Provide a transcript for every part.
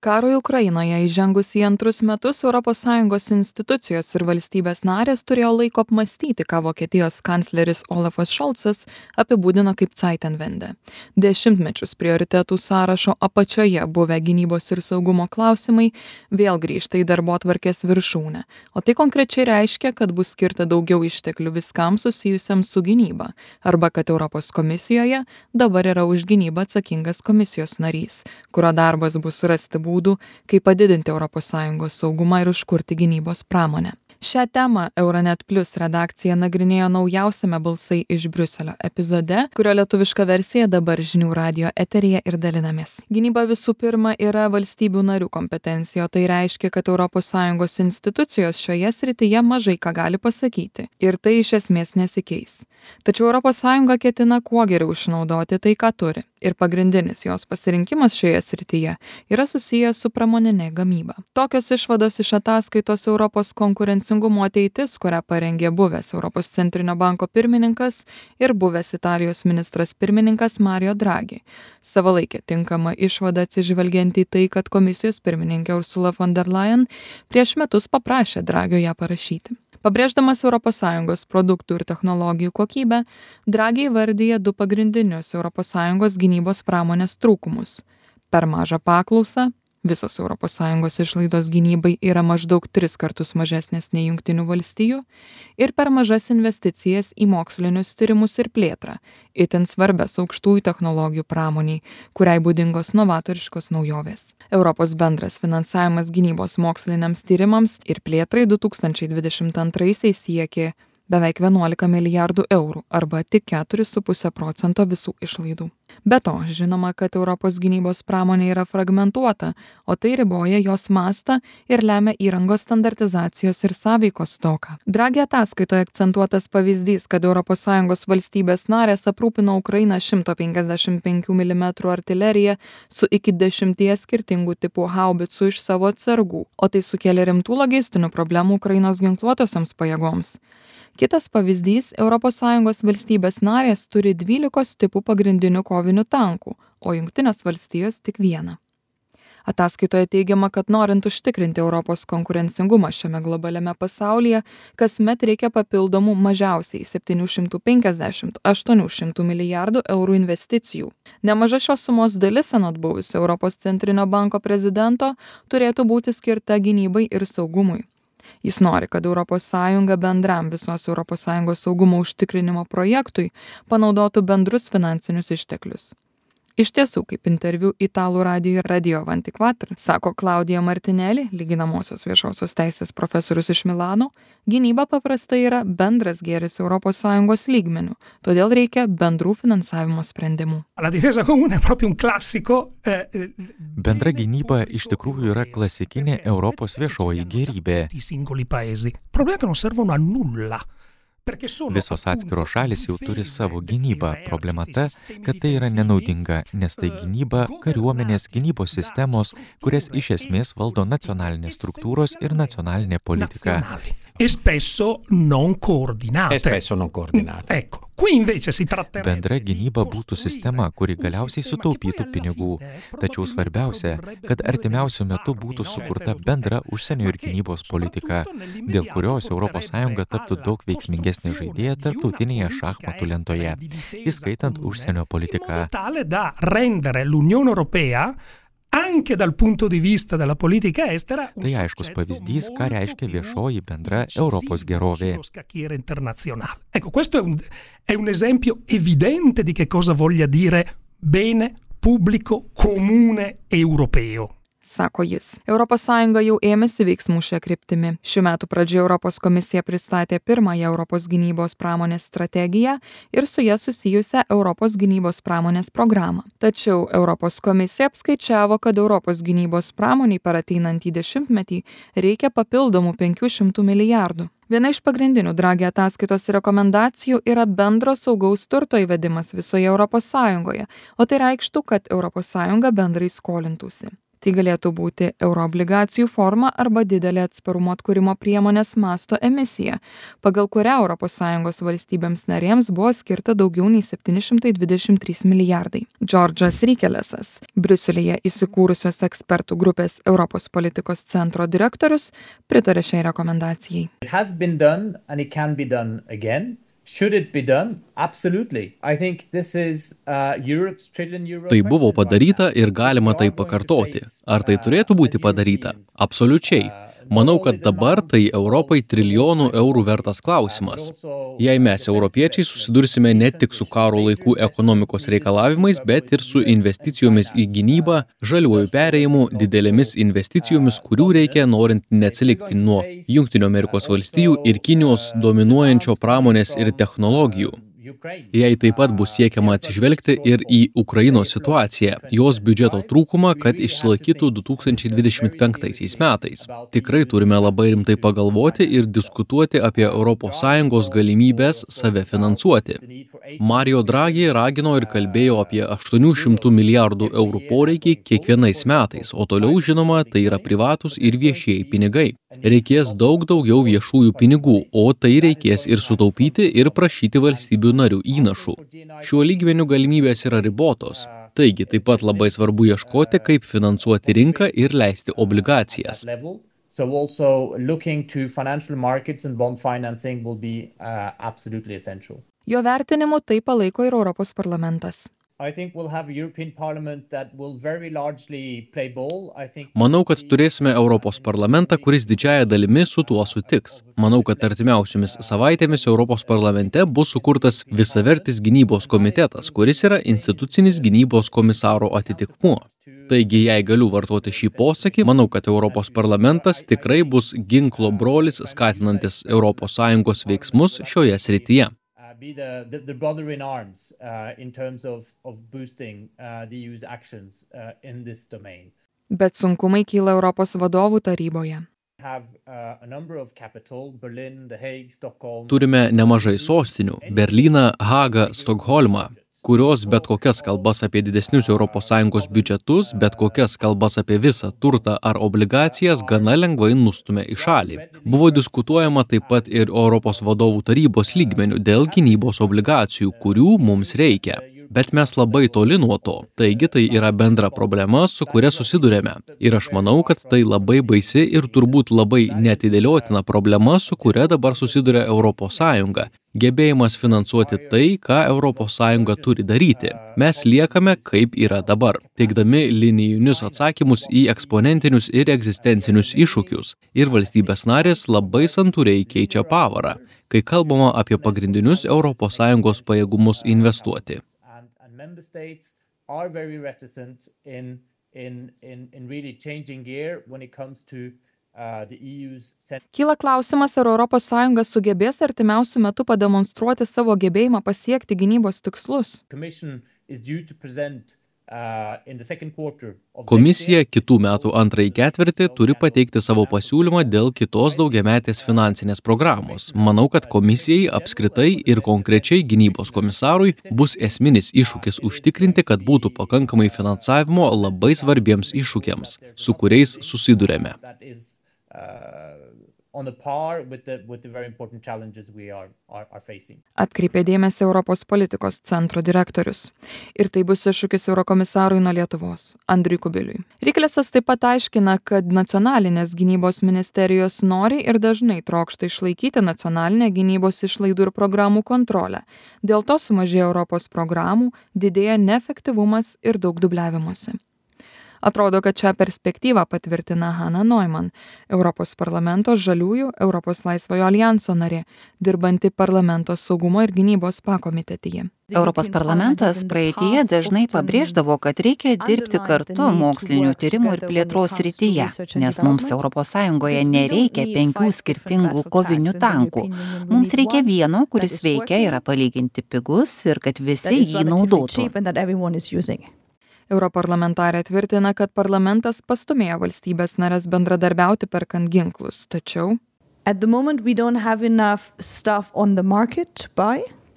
Karui Ukrainoje įžengus į antrus metus ES institucijos ir valstybės narės turėjo laiko apmąstyti, ką Vokietijos kancleris Olafas Scholzas apibūdino kaip Zeitenwende. Dešimtmečius prioritetų sąrašo apačioje buvę gynybos ir saugumo klausimai vėl grįžta į darbotvarkės viršūnę. O tai konkrečiai reiškia, kad bus skirta daugiau išteklių viskam susijusiam su gynyba, arba kad Europos komisijoje dabar yra už gynybą atsakingas komisijos narys, kurio darbas bus rasti būdų, kaip padidinti ES saugumą ir užkurti gynybos pramonę. Šią temą Euronet Plus redakcija nagrinėjo naujausiame Balsai iš Briuselio epizode, kurio lietuviška versija dabar žinių radijo eteryje ir dalinamės. Gynyba visų pirma yra valstybių narių kompetencija, o tai reiškia, kad ES institucijos šioje srityje mažai ką gali pasakyti. Ir tai iš esmės nesikeis. Tačiau ES ketina kuo geriau išnaudoti tai, ką turi. Ir pagrindinis jos pasirinkimas šioje srityje yra susijęs su pramoninė gamyba. Tokios išvados iš ataskaitos Europos konkurencingumo ateitis, kurią parengė buvęs Europos centrinio banko pirmininkas ir buvęs Italijos ministras pirmininkas Mario Draghi. Savalaikė tinkama išvada atsižvelgiant į tai, kad komisijos pirmininkė Ursula von der Leyen prieš metus paprašė Draghio ją parašyti. Pabrėždamas ES produktų ir technologijų kokybę, Draghi įvardyja du pagrindinius ES gynybos pramonės trūkumus. Per mažą paklausą, visos ES išlaidos gynybai yra maždaug 3 kartus mažesnės nei Jungtinių valstijų, ir per mažas investicijas į mokslinius tyrimus ir plėtrą, itin svarbias aukštųjų technologijų pramoniai, kuriai būdingos novatoriškos naujovės. Europos bendras finansavimas gynybos moksliniams tyrimams ir plėtrai 2022 siekė beveik 11 milijardų eurų arba tik 4,5% visų išlaidų. Be to, žinoma, kad Europos gynybos pramonė yra fragmentuota, o tai riboja jos mastą ir lemia įrangos standartizacijos ir sąveikos stoką. Draghi ataskaitoje akcentuotas pavyzdys, kad ES valstybės narės aprūpino Ukrainą 155 mm artileriją su iki 10 skirtingų tipų haubicų iš savo atsargų, o tai sukėlė rimtų logistinių problemų Ukrainos ginkluotosioms pajėgoms. Kitas pavyzdys, ES valstybės narės turi 12 tipų pagrindinių kovinių tankų, o Jungtinės valstijos tik vieną. Ataskaitoje teigiama, kad norint užtikrinti Europos konkurencingumą šiame globaliame pasaulyje, kasmet reikia papildomų mažiausiai 750–800 milijardų eurų investicijų. Nemaža šios sumos dalis, anot buvusio Europos centrinio banko prezidento, turėtų būti skirta gynybai ir saugumui. Jis nori, kad ES bendram visos ES saugumo užtikrinimo projektui panaudotų bendrus finansinius išteklius. Iš tiesų, kaip interviu italų radijui Radio Vantikvatr, sako Claudia Martinelli, lyginamosios viešosios teisės profesorius iš Milano, gynyba paprastai yra bendras gėris ES lygmenių, todėl reikia bendrų finansavimo sprendimų. Bendra gynyba iš tikrųjų yra klasikinė Europos viešoji gėrybė. Visos atskiros šalis jau turi savo gynybą. Problema ta, kad tai yra nenaudinga, nes tai gynyba, kariuomenės, gynybos sistemos, kurias iš esmės valdo nacionalinės struktūros ir nacionalinė politika. Bendra gynyba būtų sistema, kuri galiausiai sutaupytų pinigų. Tačiau svarbiausia, kad artimiausiu metu būtų sukurta bendra užsienio ir gynybos politika, dėl kurios ES taptų daug veiksmingesnė žaidėja tarptautinėje šachmatų lentoje, įskaitant užsienio politiką. Anche dal punto di vista della politica estera, tai aiškus pavyzdys, ką reiškia viešoji bendra Europos gerovė. Ecco, questo è un esempio evidente di che cosa voglia dire bene pubblico comune europeo. Sako jis. ES jau ėmėsi veiksmų šią kryptimį. Šių metų pradžioje Europos komisija pristatė pirmąją Europos gynybos pramonės strategiją ir su ja susijusią Europos gynybos pramonės programą. Tačiau Europos komisija apskaičiavo, kad Europos gynybos pramoniai per ateinantį dešimtmetį reikia papildomų 500 milijardų. Viena iš pagrindinių Draghi ataskaitos rekomendacijų yra bendro saugaus turto įvedimas visoje ES, o tai reikštų, kad ES bendrai skolintųsi. Tai galėtų būti euroobligacijų forma arba didelė atsparumo atkūrimo priemonės masto emisija, pagal kurią ES valstybėms narėms buvo skirta daugiau nei 723 milijardai. Džordžas Rykelesas, Briuselyje įsikūrusios ekspertų grupės Europos politikos centro direktorius, pritarė šiai rekomendacijai. It has been done and it can be done again. Should it be done? Absolutely. I think this is Europe's trillion euro. Tai buvo padaryta ir galima tai pakartoti. Ar tai turėtų būti padaryta? Absoliučiai. Manau, kad dabar tai Europai trilijonų eurų vertas klausimas. Jei mes, europiečiai, susidursime ne tik su karo laikų ekonomikos reikalavimais, bet ir su investicijomis į gynybą, žaliuoju perėjimu, didelėmis investicijomis, kurių reikia norint neatsilikti nuo Jungtinių Amerikos valstijų ir Kinijos dominuojančio pramonės ir technologijų. Jei taip pat bus siekiama atsižvelgti ir į Ukrainos situaciją, jos biudžeto trūkumą, kad išsilaikytų 2025 metais. Tikrai turime labai rimtai pagalvoti ir diskutuoti apie ES galimybės save finansuoti. Mario Draghi ragino ir kalbėjo apie 800 milijardų eurų poreikį kiekvienais metais, o toliau, žinoma, tai yra privatus ir viešieji pinigai. Reikės daug daugiau viešųjų pinigų, o tai reikės ir sutaupyti ir prašyti valstybių narių įnašų. Šiuo lygmeniu galimybės yra ribotos. Taigi, taip pat labai svarbu ieškoti, kaip finansuoti rinką ir leisti obligacijas. So also looking to financial markets and bond financing will be absolutely essential. Jo vertinimu tai palaiko ir Europos parlamentas. I think we'll have a European Parliament that will very largely play ball. Manau, kad turėsime Europos parlamentą, kuris didžiąja dalimi su tuo sutiks. Manau, kad artimiausiomis savaitėmis Europos parlamente bus sukurtas visavertis gynybos komitetas, kuris yra institucinis gynybos komisaro atitikmuo. Taigi, jei galiu vartoti šį posakį, manau, kad Europos parlamentas tikrai bus ginklo brolis, skatinantis ES veiksmus šioje srityje. Be the brother in arms in terms of boosting the EU's actions in this domain. Bet sunkumai kyla Europos vadovų taryboje. Turime nemažai sostinių – Berlyną, Hagą, Stokholmą, kurios bet kokias kalbas apie didesnius ES biudžetus, bet kokias kalbas apie visą turtą ar obligacijas gana lengvai nustumia į šalį. Buvo diskutuojama taip pat ir Europos vadovų tarybos lygmenių dėl gynybos obligacijų, kurių mums reikia. Bet mes labai toli nuo to, taigi tai yra bendra problema, su kuria susidurėme. Ir aš manau, kad tai labai baisi ir turbūt labai neatidėliotina problema, su kuria dabar susiduria ES. Gebėjimas finansuoti tai, ką ES turi daryti. Mes liekame kaip yra dabar, teikdami linijinius atsakymus į eksponentinius ir egzistencinius iššūkius. Ir valstybės narės labai santūriai keičia pavarą, kai kalbama apie pagrindinius ES pajėgumus investuoti. Member states are very reticent in really changing gear when it comes to the EU's. Kyla klausimas, ar ES sugebės artimiausiu metu pademonstruoti savo gebėjimą pasiekti gynybos tikslus. Commission is due to present Komisija kitų metų antrąjį ketvirtį turi pateikti savo pasiūlymą dėl kitos daugiametės finansinės programos. Manau, kad komisijai apskritai ir konkrečiai gynybos komisarui bus esminis iššūkis užtikrinti, kad būtų pakankamai finansavimo labai svarbiems iššūkiams, su kuriais susidurėme. Atkreipė dėmesį Europos politikos centro direktorius. Ir tai bus iššūkis eurokomisarui nuo Lietuvos, Andriui Kubiliui. Rykelesas taip pat aiškina, kad nacionalinės gynybos ministerijos nori ir dažnai trokšta išlaikyti nacionalinę gynybos išlaidų ir programų kontrolę. Dėl to sumažėja Europos programų, didėja neefektyvumas ir daug dubliavimuose. Atrodo, kad šią perspektyvą patvirtina Hanna Neumann, Europos parlamento žaliųjų Europos laisvojo alijanso narė, dirbanti parlamento saugumo ir gynybos pakomitetyje. Europos parlamentas praeityje dažnai pabrėždavo, kad reikia dirbti kartu mokslinių tyrimų ir plėtros srityje, nes mums ES nereikia 5 skirtingų kovinių tankų. Mums reikia vieno, kuris veikia, yra palyginti pigus ir kad visi jį naudotų. Europarlamentarė tvirtina, kad parlamentas pastumėjo valstybės nares bendradarbiauti perkant ginklus, tačiau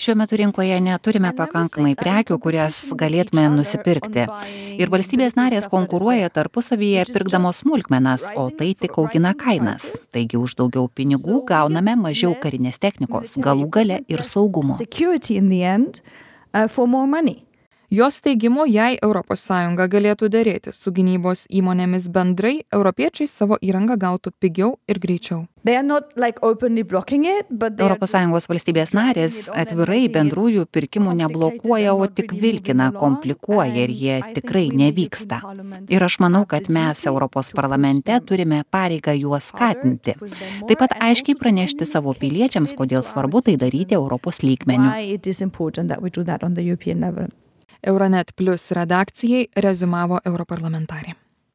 Šiuo metu rinkoje neturime pakankamai prekių, kurias galėtume nusipirkti. Ir valstybės narės konkuruoja tarpusavyje pirkdamos smulkmenas, o tai tik augina kainas. Taigi už daugiau pinigų gauname mažiau karinės technikos, galų gale ir saugumo. Jos teigimu, jei ES galėtų derėti su gynybos įmonėmis bendrai, europiečiai savo įrangą gautų pigiau ir greičiau. ES valstybės narės atvirai bendrųjų pirkimų neblokuoja, o tik vilkina, komplikuoja ir jie tikrai nevyksta. Ir aš manau, kad mes Europos parlamente turime pareigą juos skatinti. Taip pat aiškiai pranešti savo piliečiams, kodėl svarbu tai daryti Europos lygmeniu. Euronet Plus redakcijai reziumavo europarlamentarė.